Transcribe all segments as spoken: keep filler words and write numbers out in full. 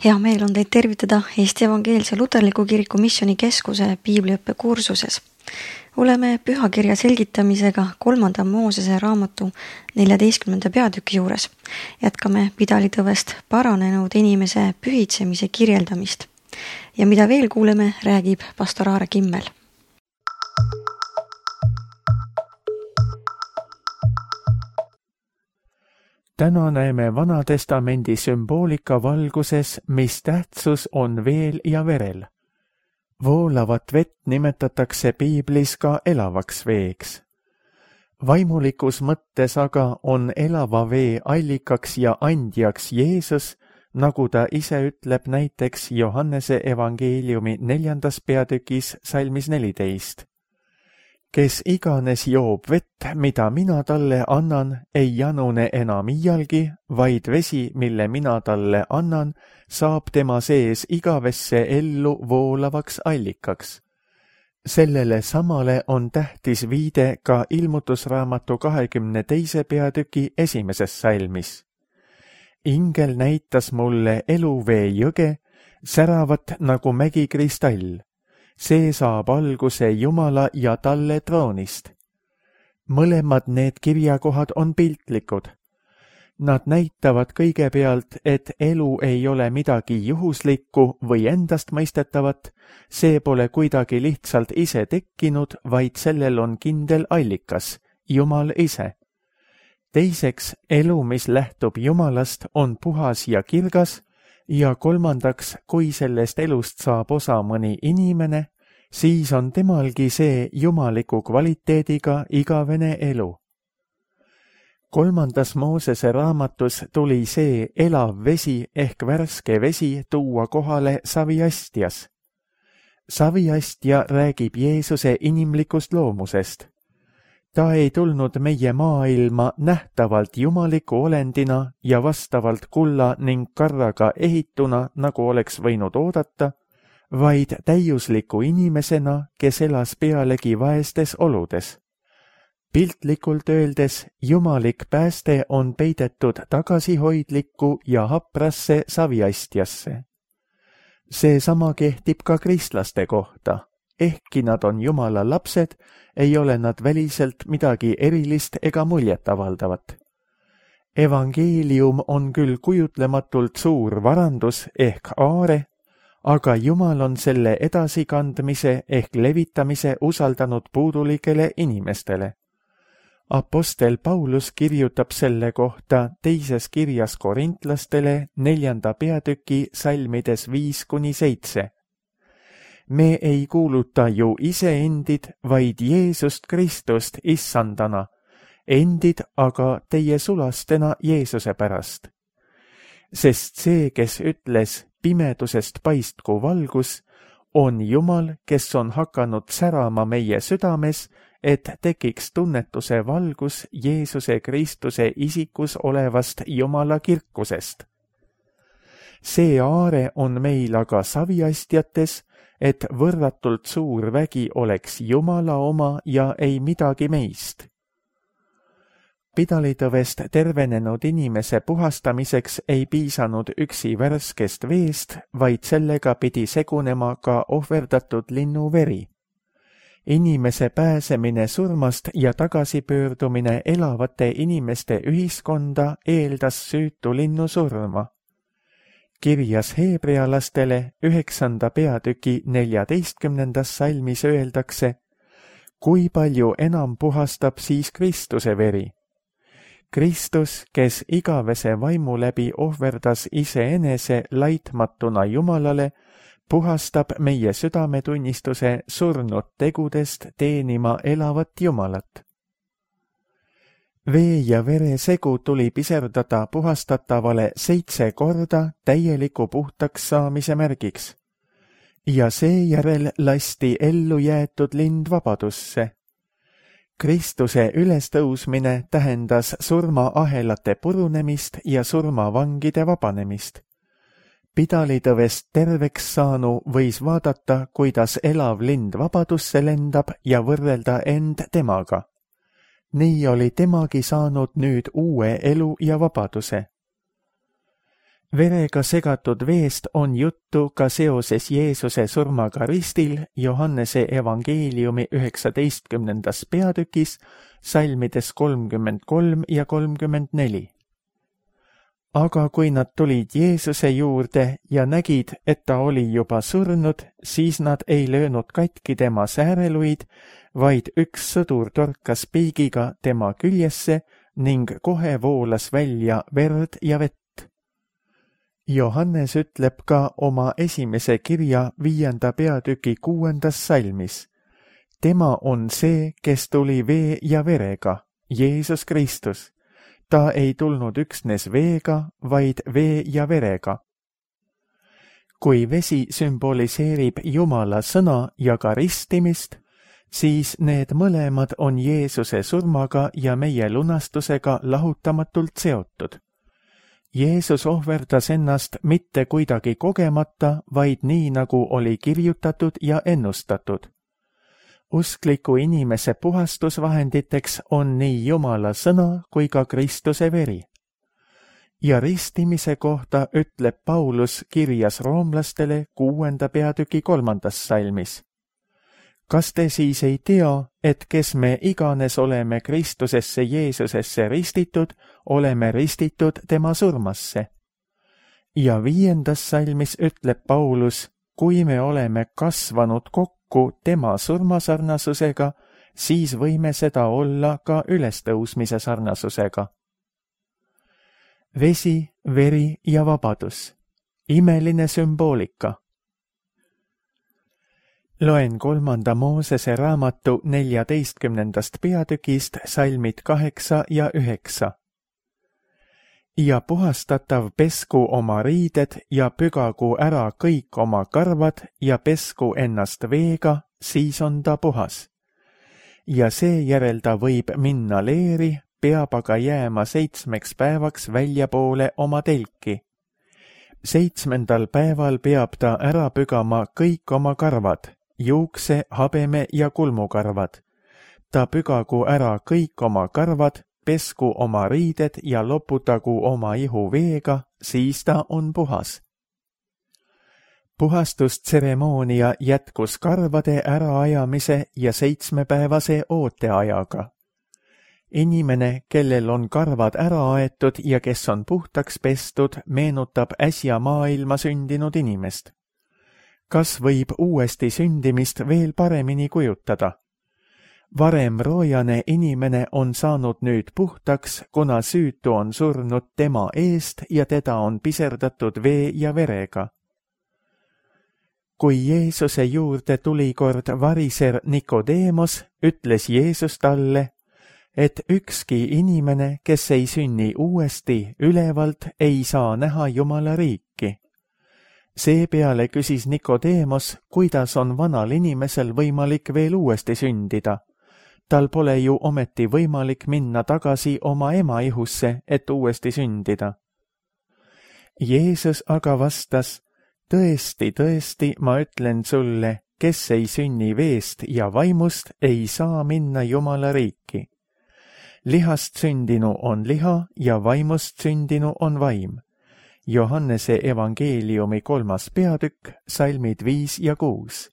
Hea meel on teid tervitada Eesti Evangeelse Luterliku Kiriku Missioonikeskuse piibliõppe kursuses. Oleme pühakirja selgitamisega kolmanda Moosese raamatu neljateistkümnenda peatüki juures. Jätkame pidalitõvest paranenud inimese pühitsemise kirjeldamist. Ja mida veel kuuleme, räägib pastor Aare Kimmel. Täna näeme Vanatestamendi sümboolika valguses, mis tähtsus on veel ja verel. Voolavat vett nimetatakse piiblis ka elavaks veeks. Vaimulikus mõttes aga on elava vee allikaks ja andjaks Jeesus, nagu ta ise ütleb näiteks Johannese evangeeliumi neljandas peatükis salmis neliteist. Kes iganes joob vett, mida mina talle annan, ei janune enam iialgi, vaid vesi, mille mina talle annan, saab tema sees igavesse ellu voolavaks allikaks. Sellele samale on tähtis viide ka ilmutusraamatu kahekümne teise peatüki esimeses salmis. Ingel näitas mulle eluvee jõge, säravat nagu mägikristall. See saab alguse Jumala ja talle troonist. Mõlemad need kirjakohad on piltlikud. Nad näitavad kõigepealt, et elu ei ole midagi juhuslikku või endastmõistetavat, see pole kuidagi lihtsalt ise tekkinud, vaid sellel on kindel allikas, Jumal ise. Teiseks, elu, mis lähtub Jumalast, on puhas ja kirgas, ja kolmandaks, kui sellest elust saab osa mõni inimene, siis on temalgi see jumaliku kvaliteediga igavene elu. Kolmandas Moosese raamatus tuli see elav vesi ehk värske vesi tuua kohale saviastjas. Saviastja räägib Jeesuse inimlikust loomusest. Ta ei tulnud meie maailma nähtavalt jumaliku olendina ja vastavalt kulla ning karraga ehituna, nagu oleks võinud oodata, vaid täiusliku inimesena, kes elas pealegi vaestes oludes. Piltlikult öeldes, jumalik pääste on peidetud tagasihoidlikku ja haprasse saviastjasse. Seesama kehtib ka kristlaste kohta. Ehkki nad on Jumala lapsed, ei ole nad väliselt midagi erilist ega muljetavaldavat. Evangeelium on küll kujutlematult suur varandus ehk aare, aga Jumal on selle edasikandmise ehk levitamise usaldanud puudulikele inimestele. Apostel Paulus kirjutab selle kohta teises kirjas korintlastele neljanda peatüki salmides viis kuni seitse. Me ei kuuluta ju iseendid, vaid Jeesust Kristust issandana, endid aga teie sulastena Jeesuse pärast. Sest see, kes ütles pimedusest paistku valgus, on Jumal, kes on hakanud särama meie südames, et tekiks tunnetuse valgus Jeesuse Kristuse isikus olevast Jumala kirkusest. See aare on meil aga saviastjates, et võrratult suur vägi oleks Jumala oma ja ei midagi meist. Pidalitõvest tervenenud inimese puhastamiseks ei piisanud üksi värskest veest, vaid sellega pidi segunema ka ohverdatud linnu veri. Inimese pääsemine surmast ja tagasipöördumine elavate inimeste ühiskonda eeldas süütu linnu surma. Kirjas heebrealastele üheksanda peatüki neljateistkümnendas salmis öeldakse, kui palju enam puhastab siis Kristuse veri. Kristus, kes igavese vaimu läbi ohverdas iseenese laitmatuna Jumalale, puhastab meie südametunnistuse surnud tegudest teenima elavat Jumalat. Vee ja vere segu tuli piserdada puhastatavale seitse korda täieliku puhtaks saamise märgiks. Ja seejärel lasti ellu jäetud lind vabadusse. Kristuse ülestõusmine tähendas surmaahelate purunemist ja surmavangide vabanemist. Pidalitõvest terveks saanu võis vaadata, kuidas elav lind vabadusse lendab ja võrrelda end temaga. Nii oli temagi saanud nüüd uue elu ja vabaduse. Verega segatud veest on juttu ka seoses Jeesuse surmaga ristil Johannese evangeeliumi üheksateistkümnendas peatükis, salmides kolmkümmend kolm ja kolmkümmend neli. Aga kui nad tulid Jeesuse juurde ja nägid, et ta oli juba surnud, siis nad ei löönud katki tema sääreluid, vaid üks sõdur torkas piigiga tema küljesse ning kohe voolas välja verd ja vett. Johannes ütleb ka oma esimese kirja viienda peatüki kuuendas salmis. Tema on see, kes tuli vee ja verega, Jeesus Kristus. Ta ei tulnud üksnes veega, vaid vee ja verega. Kui vesi sümboliseerib Jumala sõna ja ka ristimist, siis need mõlemad on Jeesuse surmaga ja meie lunastusega lahutamatult seotud. Jeesus ohverdas ennast mitte kuidagi kogemata, vaid nii, nagu oli kirjutatud ja ennustatud. Uskliku inimese puhastusvahenditeks on nii Jumala sõna kui ka Kristuse veri. Ja ristimise kohta ütleb Paulus kirjas roomlastele kuuenda peatüki kolmandas salmis. Kas te siis ei tea, et kes me iganes oleme Kristusesse Jeesusesse ristitud, oleme ristitud tema surmasse? Ja viiendas salmis ütleb Paulus, kui me oleme kasvanud kokku tema surmasarnasusega, siis võime seda olla ka ülestõusmise sarnasusega. Vesi, veri ja vabadus. Imeline sümboolika. Loen kolmanda Moosese raamatu neljateistkümnendast peatükist salmid kaheksa ja üheksa. Ja puhastatav pesku oma riided ja pügagu ära kõik oma karvad ja pesku ennast veega, siis on ta puhas. Ja seejärel ta võib minna leeri, peab aga jääma seitsmeks päevaks väljapoole oma telki. Seitsmendal päeval peab ta ära pügama kõik oma karvad, juukse, habeme ja kulmukarvad. Ta pügagu ära kõik oma karvad, pesku oma riided ja loputagu oma ihu veega, siis ta on puhas. Puhastustseremoonia jätkus karvade äraajamise ja seitsmepäevase ooteajaga. Inimene, kellel on karvad ära aetud ja kes on puhtaks pestud, meenutab äsja maailma sündinud inimest. Kas võib uuesti sündimist veel paremini kujutada? Varem roojane inimene on saanud nüüd puhtaks, kuna süütu on surnud tema eest ja teda on piserdatud vee ja verega. Kui Jeesuse juurde tuli kord variser Nikodeemos, ütles Jeesus talle, et ükski inimene, kes ei sünni uuesti ülevalt, ei saa näha Jumala riiki. Seepeale küsis Nikodeemos, kuidas on vanal inimesel võimalik veel uuesti sündida. Tal pole ju ometi võimalik minna tagasi oma ema ihusse, et uuesti sündida. Jeesus aga vastas, tõesti, tõesti, ma ütlen sulle, kes ei sünni veest ja vaimust, ei saa minna Jumala riiki. Lihast sündinu on liha ja vaimust sündinu on vaim. Johannese evangeeliumi kolmas peatükk, salmid viis ja kuus.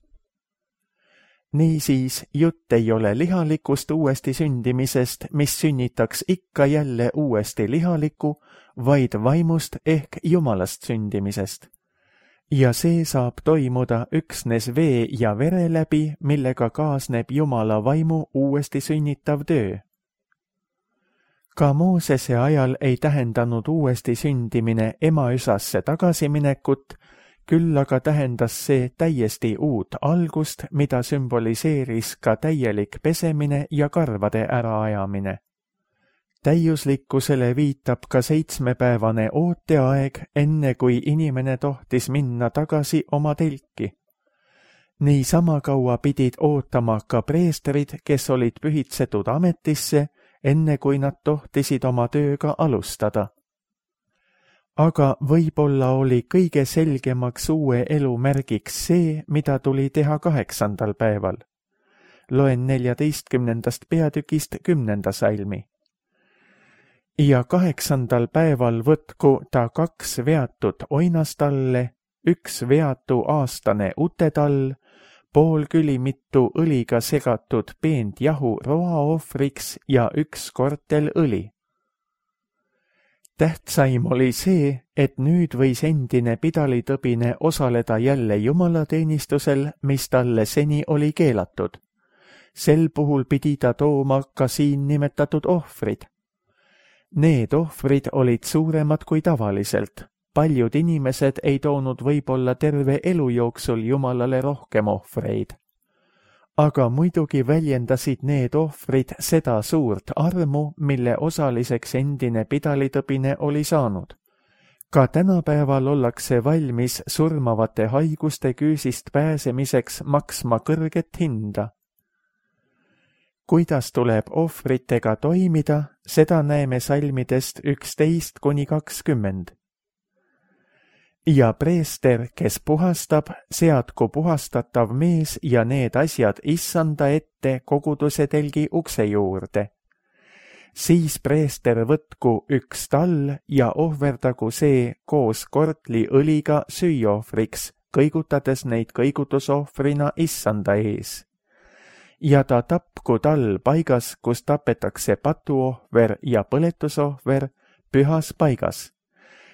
Niisiis, jutt ei ole lihalikust uuesti sündimisest, mis sünnitaks ikka jälle uuesti lihalikku, vaid vaimust ehk Jumalast sündimisest. Ja see saab toimuda üksnes vee ja vere läbi, millega kaasneb Jumala vaimu uuesti sünnitav töö. Ka Moosese ajal ei tähendanud uuesti sündimine emaüsasse tagasiminekut, küll aga tähendas see täiesti uut algust, mida sümboliseeris ka täielik pesemine ja karvade äraajamine. Täiuslikkusele viitab ka seitsmepäevane ooteaeg, enne kui inimene tohtis minna tagasi oma telki. Nii sama kaua pidid ootama ka preestrid, kes olid pühitsetud ametisse, enne kui nad tohtisid oma tööga alustada. Aga võib-olla oli kõige selgemaks uue elu märgiks see, mida tuli teha kaheksandal päeval. Loen neljateistkümnendast peatükist kümnenda salmi. ja kaheksandal päeval võtku ta kaks veatut oinastalle, üks veatu aastane utetall, pool külimitu õliga segatud peent jahu roaohvriks ja üks kortel õli. Tähtsaim oli see, et nüüd võis endine pidalitõbine osaleda jälle jumalateenistusel, mis talle seni oli keelatud. Sel puhul pidi ta tooma ka siin nimetatud ohvrid. Need ohvrid olid suuremad kui tavaliselt. Paljud inimesed ei toonud võib-olla terve elu jooksul Jumalale rohkem ohvreid. Aga muidugi väljendasid need ohvrid seda suurt armu, mille osaliseks endine pidalitõbine oli saanud. Ka tänapäeval ollakse valmis surmavate haiguste küüsist pääsemiseks maksma kõrget hinda. Kuidas tuleb ohvritega toimida, seda näeme salmidest üksteist kuni kakskümmend. Ja preester, kes puhastab, seadku puhastatav mees ja need asjad issanda ette koguduse telgi ukse juurde. Siis preester võtku üks tall ja ohverdagu see koos kortli õliga süüohvriks, kõigutades neid kõigutusohvrina issanda ees. Ja ta tapku tall paigas, kus tapetakse patuohver ja põletusohver, pühas paigas.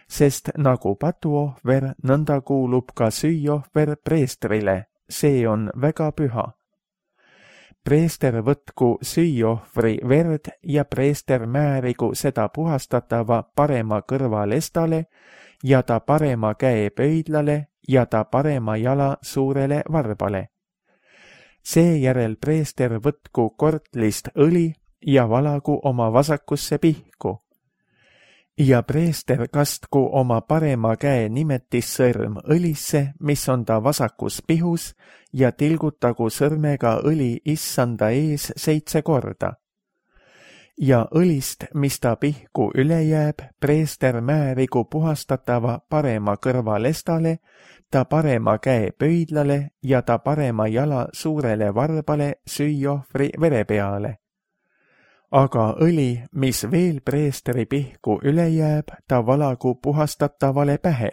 Sest nagu patuohver, nõnda kuulub ka süüohver preestrile, see on väga püha. Preester võtku süüohvri verd ja preester määrigu seda puhastatava parema kõrva lestale ja ta parema käe pöidlale ja ta parema jala suurele varbale. Seejärel preester võtku kortlist õli ja valagu oma vasakusse pihku. Ja preester kastku oma parema käe nimetissõrm õlisse, mis on ta vasakus pihus, ja tilgutagu sõrmega õli issanda ees seitse korda. Ja õlist, mis ta pihku üle jääb, preester määrigu puhastatava parema kõrva lestale, ta parema käe pöidlale ja ta parema jala suurele varbale süüohvri vere peale. Aga õli, mis veel preesteri pihku üle jääb, ta valagu puhastatavale pähe.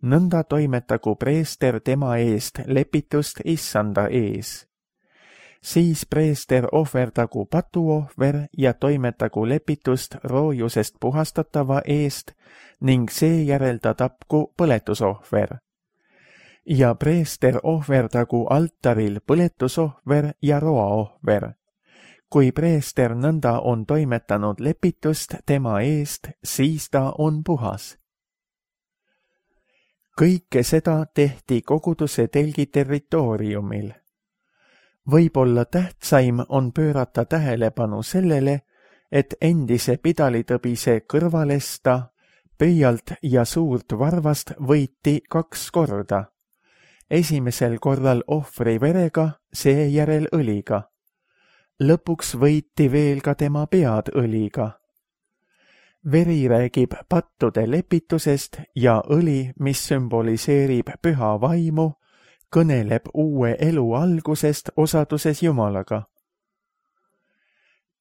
Nõnda toimetagu preester tema eest lepitust issanda ees. Siis preester ohverdagu patuohver ja toimetagu lepitust roojusest puhastatava eest ning seejärel ta tapku põletusohver. Ja preester ohverdagu altaril põletusohver ja roaohver. Kui preester nõnda on toimetanud lepitust tema eest, siis ta on puhas. Kõike seda tehti koguduse telgi territooriumil. Võib-olla tähtsaim on pöörata tähelepanu sellele, et endise pidalitõbise kõrvalesta, pöialt ja suurt varvast võiti kaks korda. Esimesel korral ohvri verega, seejärel õliga. Lõpuks võiti veel ka tema pead õliga. Veri räägib pattude lepitusest ja õli, mis sümboliseerib püha vaimu, kõneleb uue elu algusest osaduses Jumalaga.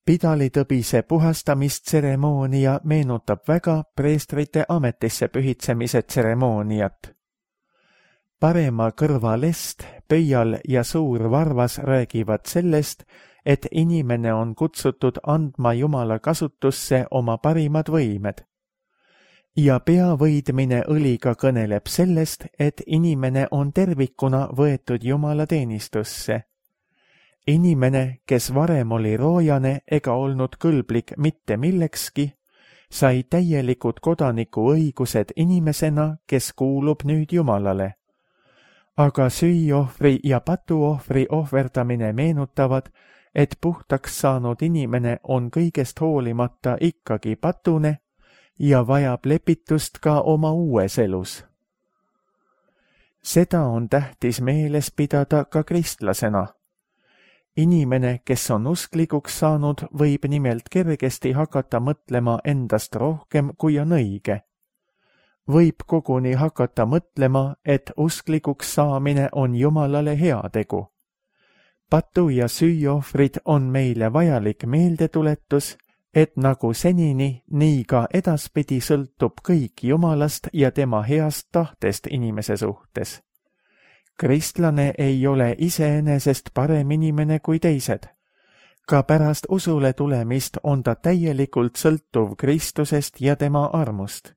Pidalitõbise puhastamistseremoonia meenutab väga preestrite ametisse pühitsemise tseremooniat. Parema kõrva lest, pöial ja suur varvas räägivad sellest, et inimene on kutsutud andma Jumala kasutusse oma parimad võimed. Ja pea võidmine õliga kõneleb sellest, et inimene on tervikuna võetud Jumala teenistusse. Inimene, kes varem oli roojane ega olnud kõlblik mitte millekski, sai täielikud kodaniku õigused inimesena, kes kuulub nüüd Jumalale. Aga süüohvri ja patuohvri ohverdamine meenutavad, et puhtaks saanud inimene on kõigest hoolimata ikkagi patune ja vajab lepitust ka oma uues elus. Seda on tähtis meeles pidada ka kristlasena. Inimene, kes on usklikuks saanud, võib nimelt kergesti hakata mõtlema endast rohkem, kui on õige. Võib koguni hakata mõtlema, et usklikuks saamine on Jumalale heategu. Patu- ja süüohvrid on meile vajalik meeldetuletus, et nagu senini, nii ka edaspidi sõltub kõik Jumalast ja tema heast tahtest inimese suhtes. Kristlane ei ole iseenesest parem inimene kui teised. Ka pärast usule tulemist on ta täielikult sõltuv Kristusest ja tema armust.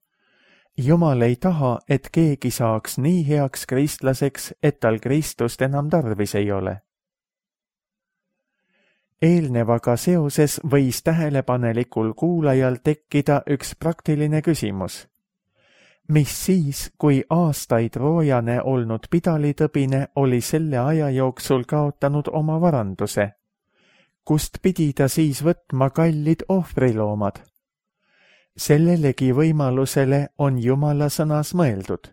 Jumal ei taha, et keegi saaks nii heaks kristlaseks, et tal Kristust enam tarvis ei ole. Eelnevaga seoses võis tähelepanelikul kuulajal tekkida üks praktiline küsimus. Mis siis, kui aastaid roojane olnud pidalitõbine oli selle aja jooksul kaotanud oma varanduse? Kust pidi ta siis võtma kallid ohvriloomad? Sellelegi võimalusele on Jumala sõnas mõeldud.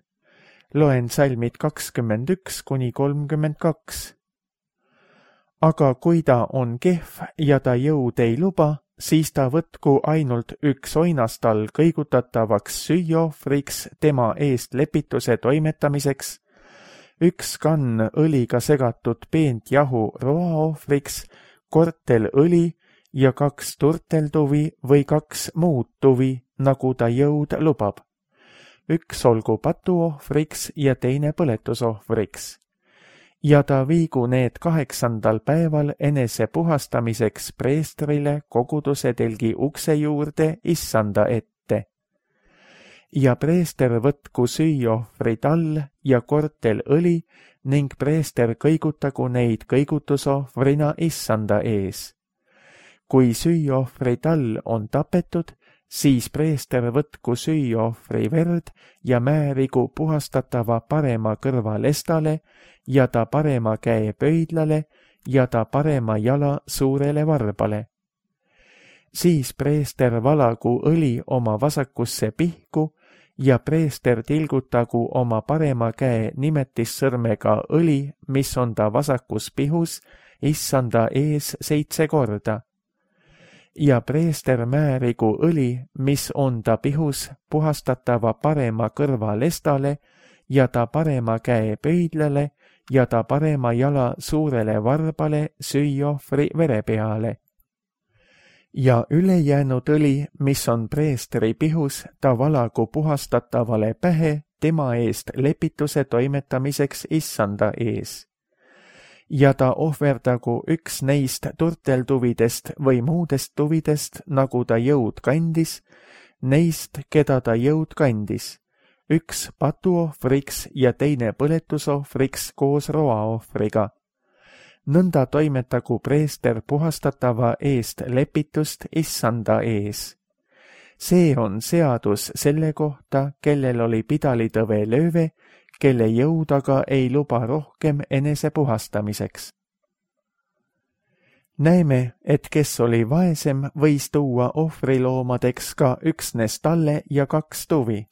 Loen salmid kakskümmend üks kuni kolmkümmend kaks. Aga kui ta on kehv ja ta jõud ei luba, siis ta võtku ainult üks oinastal kõigutatavaks süüohvriks tema eest lepituse toimetamiseks, üks kann õliga segatud peent jahu roaohvriks, kortel õli ja kaks turteltuvi või kaks muud tuvi, nagu ta jõud lubab. Üks olgu patuohvriks ja teine põletusohvriks. Ja ta viigu need kaheksandal päeval enese puhastamiseks preestrile koguduse telgi ukse juurde issanda ette. Ja preester võtku süüohvri tall ja kortel õli ning preester kõigutagu neid kõigutusohvrina issanda ees. Kui süüohvri tall on tapetud, siis preester võtku süüohvri verd ja määrigu puhastatava parema kõrva lestale ja ta parema käe pöidlale ja ta parema jala suurele varbale. Siis preester valagu õli oma vasakusse pihku ja preester tilgutagu oma parema käe nimetissõrmega õli, mis on ta vasakus pihus, issanda ees seitse korda. Ja preester määrigu õli, mis on ta pihus, puhastatava parema kõrva lestale ja ta parema käe pöidlale ja ta parema jala suurele varbale süüohvri vere peale. Ja ülejäänud õli, mis on preestri pihus, ta valagu puhastatavale pähe tema eest lepituse toimetamiseks issanda ees. Ja ta ohverdagu üks neist turteltuvidest või muudest tuvidest, nagu ta jõud kandis, neist, keda ta jõud kandis, üks patuohvriks ja teine põletusohvriks koos roaohvriga. Nõnda toimetagu preester puhastatava eest lepitust issanda ees. See on seadus selle kohta, kellel oli pidalitõve lööve, kelle jõud aga ei luba rohkem enese puhastamiseks. Näeme, et kes oli vaesem, võis tuua ohvriloomadeks ka üksnes talle ja kaks tuvi.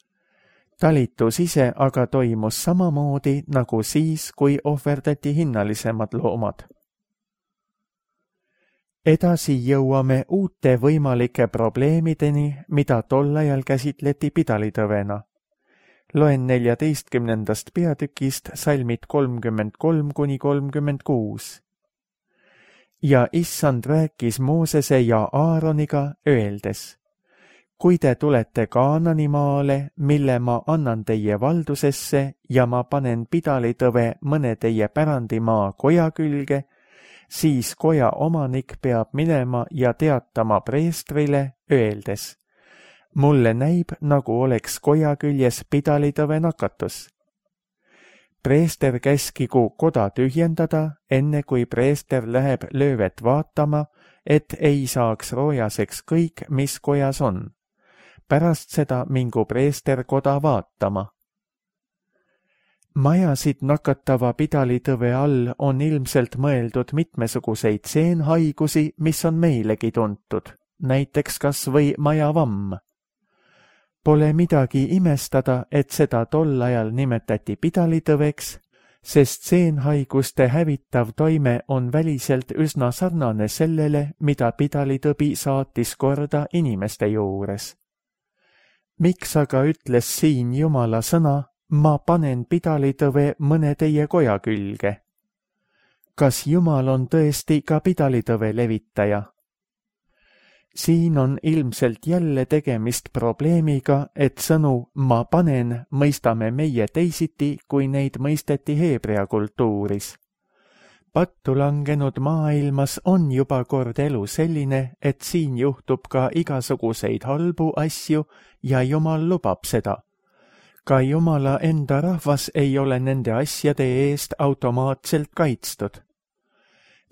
Talitus ise aga toimus samamoodi nagu siis, kui ohverdati hinnalisemad loomad. Edasi jõuame uute võimalike probleemideni, mida tol ajal käsitleti pidalitõvena. Loen neljateistkümnendast peatükist salmid kolmkümmend kolm kuni kolmkümmend kuus. Ja issand rääkis Moosese ja Aaroniga öeldes: kui te tulete Kaanani maale, mille ma annan teie valdusesse ja ma panen pidalitõve mõne teie pärandimaa koja külge, siis koja omanik peab minema ja teatama preestrile, öeldes: mulle näib, nagu oleks koja küljes pidalitõve nakatus. Preester käskigu koda tühjendada, enne kui preester läheb löövet vaatama, et ei saaks roojaseks kõik, mis kojas on. Pärast seda mingu preester koda vaatama. Majasid nakatava pidalitõve all on ilmselt mõeldud mitmesuguseid seenhaigusi, mis on meilegi tuntud, näiteks kas või majavamm. Pole midagi imestada, et seda tol ajal nimetati pidalitõveks, sest seenhaiguste hävitav toime on väliselt üsna sarnane sellele, mida pidalitõbi saatis korda inimeste juures. Miks aga ütles siin Jumala sõna, ma panen pidalitõve mõne teie koja külge? Kas Jumal on tõesti ka pidalitõve levitaja? Siin on ilmselt jälle tegemist probleemiga, et sõnu ma panen mõistame meie teisiti, kui neid mõisteti heebrea kultuuris. Pattu langenud maailmas on juba kord elu selline, et siin juhtub ka igasuguseid halbu asju ja Jumal lubab seda. Ka Jumala enda rahvas ei ole nende asjade eest automaatselt kaitstud.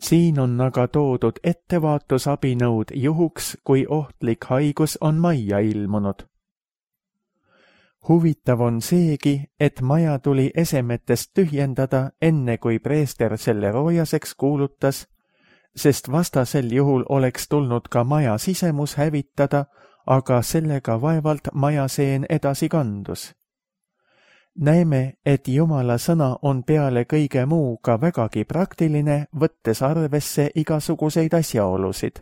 Siin on aga toodud ettevaatusabinõud juhuks, kui ohtlik haigus on majja ilmunud. Huvitav on seegi, et maja tuli esemetest tühjendada enne kui preester selle roojaseks kuulutas, sest vastasel juhul oleks tulnud ka maja sisemus hävitada, aga sellega vaevalt majaseen edasi kandus. Näeme, et Jumala sõna on peale kõige muu ka vägagi praktiline, võttes arvesse igasuguseid asjaolusid.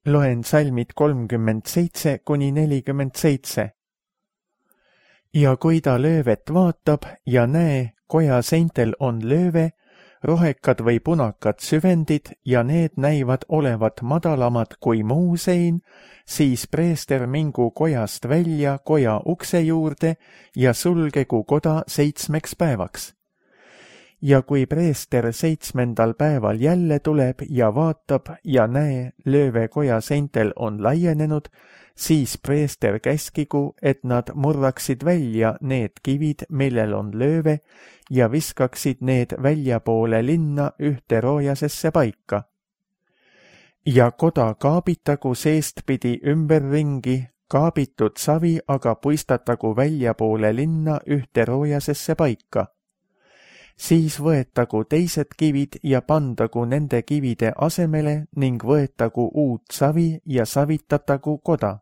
Loen salmid kolmkümmend seitse kuni nelikümmend seitse. Ja kui ta löövet vaatab ja näe, koja seintel on lööve, rohekad või punakad süvendid ja need näivad olevat madalamad kui muu sein, siis preester mingu kojast välja koja ukse juurde ja sulgegu koda seitsmeks päevaks. Ja kui preester seitsmendal päeval jälle tuleb ja vaatab ja näe, lööve koja seintel on laienenud, siis preester käskigu, et nad murraksid välja need kivid, millel on lööve, ja viskaksid need väljapoole linna ühte roojasesse paika. Ja koda kaabitagu seestpidi ümberringi, kaabitud savi aga puistatagu väljapoole linna ühte roojasesse paika. Siis võetagu teised kivid ja pandagu nende kivide asemele ning võetagu uut savi ja savitatagu koda.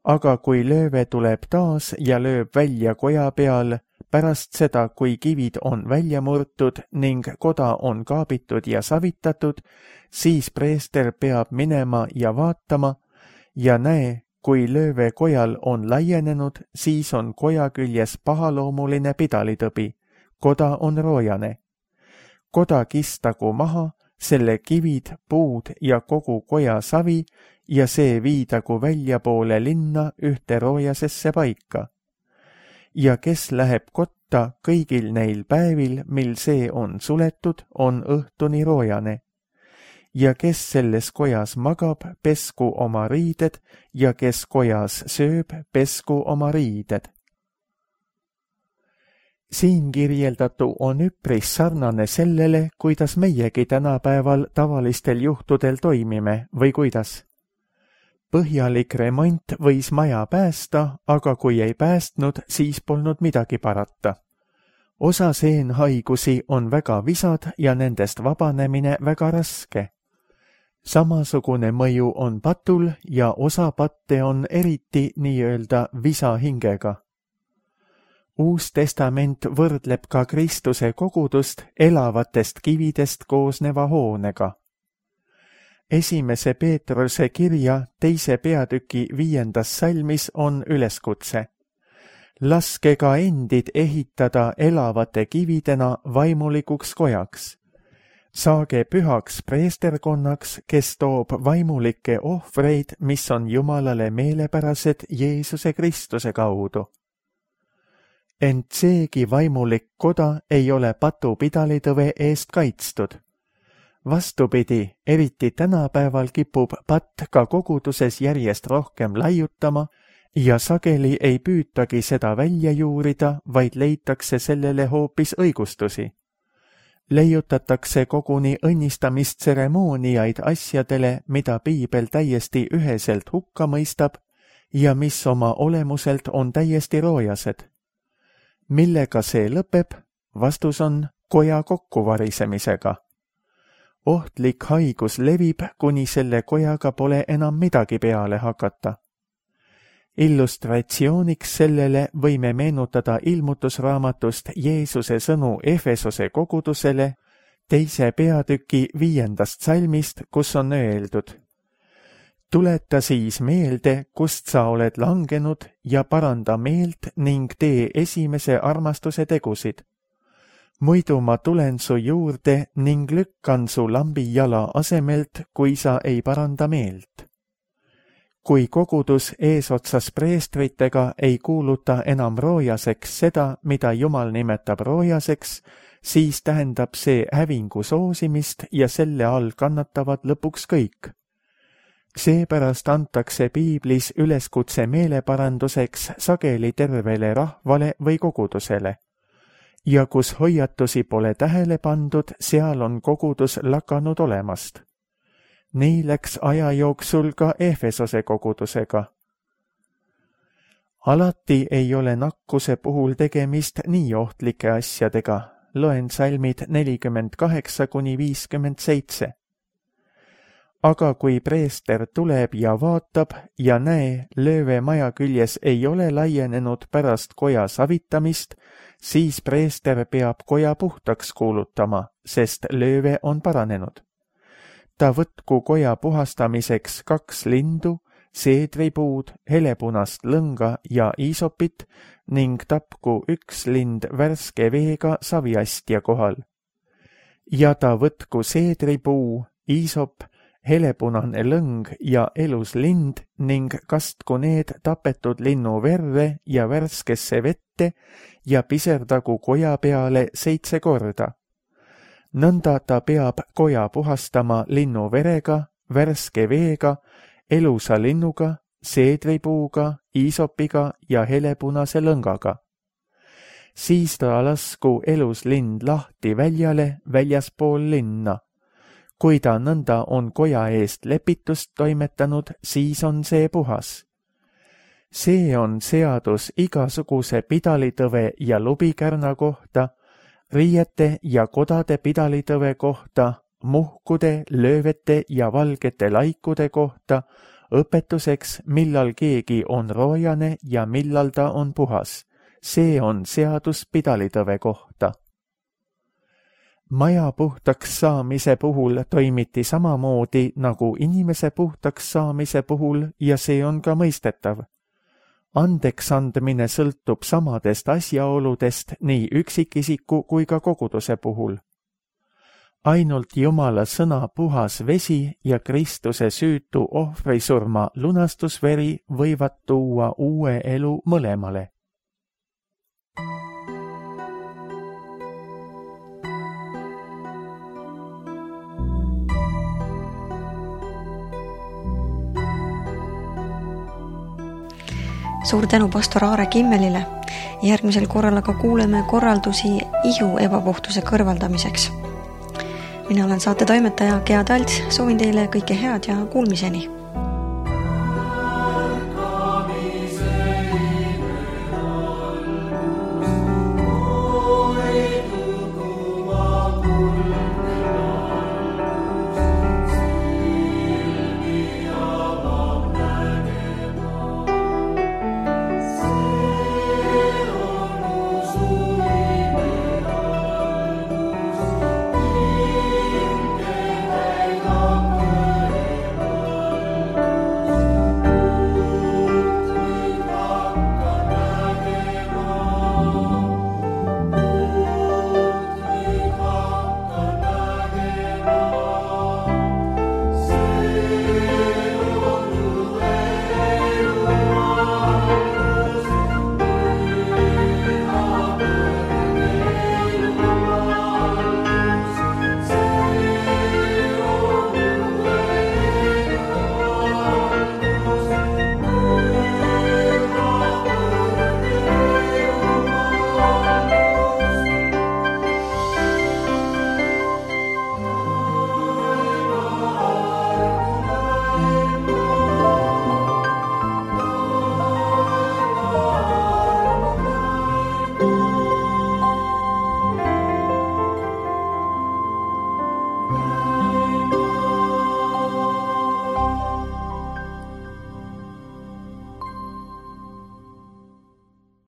Aga kui lööve tuleb taas ja lööb välja koja peal, pärast seda, kui kivid on välja murtud ning koda on kaabitud ja savitatud, siis preester peab minema ja vaatama ja näe, kui lööve kojal on laienenud, siis on koja küljes pahaloomuline pidalitõbi, koda on roojane. Koda kistagu maha, selle kivid, puud ja kogu koja savi ja see viidagu väljapoole linna ühte roojasesse paika. Ja kes läheb kotta kõigil neil päevil, mil see on suletud, on õhtuni roojane. Ja kes selles kojas magab, pesku oma riided, ja kes kojas sööb, pesku oma riided. Siin kirjeldatu on üpris sarnane sellele, kuidas meiegi tänapäeval tavalistel juhtudel toimime või kuidas. Põhjalik remont võis maja päästa, aga kui ei päästnud, siis polnud midagi parata. Osa seenhaigusi on väga visad ja nendest vabanemine väga raske. Samasugune mõju on patul ja osa patte on eriti nii-öelda visa hingega. Uus testament võrdleb ka Kristuse kogudust elavatest kividest koosneva hoonega. Esimese Peetruse kirja teise peatüki viiendas salmis on üleskutse. Laske ka endid ehitada elavate kividena vaimulikuks kojaks. Saage pühaks preesterkonnaks, kes toob vaimulikke ohvreid, mis on Jumalale meelepärased Jeesuse Kristuse kaudu. Ent seegi vaimulik koda ei ole patupidalitõve eest kaitstud. Vastupidi, eriti tänapäeval kipub patt ka koguduses järjest rohkem laiutama ja sageli ei püütagi seda välja juurida, vaid leitakse sellele hoopis õigustusi. Leiutatakse koguni õnnistamistseremooniaid asjadele, mida piibel täiesti üheselt hukka mõistab ja mis oma olemuselt on täiesti roojased. Millega see lõpeb? Vastus on koja kokkuvarisemisega. Ohtlik haigus levib, kuni selle kojaga pole enam midagi peale hakata. Illustratsiooniks sellele võime meenutada ilmutusraamatust Jeesuse sõnu Efesose kogudusele teise peatüki viiendast salmist, kus on öeldud: tuleta siis meelde, kust sa oled langenud ja paranda meelt ning tee esimese armastuse tegusid. Muidu ma tulen su juurde ning lükkan su lambi jala asemelt, kui sa ei paranda meelt. Kui kogudus eesotsas preestritega ei kuuluta enam roojaseks seda, mida Jumal nimetab roojaseks, siis tähendab see hävingu soosimist ja selle all kannatavad lõpuks kõik. Seepärast antakse piiblis üleskutse meeleparanduseks sageli tervele rahvale või kogudusele. Ja kus hoiatusi pole tähele pandud, seal on kogudus lakanud olemast. Nii läks aja jooksul ka Efesose kogudusega. Alati ei ole nakkuse puhul tegemist nii ohtlike asjadega. Loen salmid nelikümmend kaheksa kuni viiskümmend seitse. Aga kui preester tuleb ja vaatab ja näe, lööve maja küljes ei ole laienenud pärast koja savitamist, siis preester peab koja puhtaks kuulutama, sest lööve on paranenud. Ta võtku koja puhastamiseks kaks lindu, seedripuud, helepunast lõnga ja iisopit ning tapku üks lind värske veega saviastja kohal. Ja ta võtku seedripuu, iisop, helepunane lõng ja elus lind ning kastku need tapetud linnu verre ja värskesse vette ja piserdagu koja peale seitse korda. Nõnda ta peab koja puhastama linnu verega, värske veega, elusa linnuga, seedripuuga, iisopiga ja helepunase lõngaga. Siis ta lasku elus lind lahti väljale väljaspool linna. Kui ta nõnda on koja eest lepitust toimetanud, siis on see puhas. See on seadus igasuguse pidalitõve ja lubikärna kohta, riiete ja kodade pidalitõve kohta, muhkude, löövete ja valgete laikude kohta, õpetuseks, millal keegi on roojane ja millal ta on puhas. See on seadus pidalitõve kohta. Maja puhtaks saamise puhul toimiti samamoodi nagu inimese puhtaks saamise puhul ja see on ka mõistetav. Andeks andmine sõltub samadest asjaoludest nii üksikisiku kui ka koguduse puhul. Ainult Jumala sõna puhas vesi ja Kristuse süütu ohvrisurma lunastusveri võivad tuua uue elu mõlemale. Suur tänu pastor Aare Kimmelile. Järgmisel korral aga kuuleme korraldusi ihu ebapuhtuse kõrvaldamiseks. Mina olen saate toimetaja Gea Talts, soovin teile kõike head ja kuulmiseni.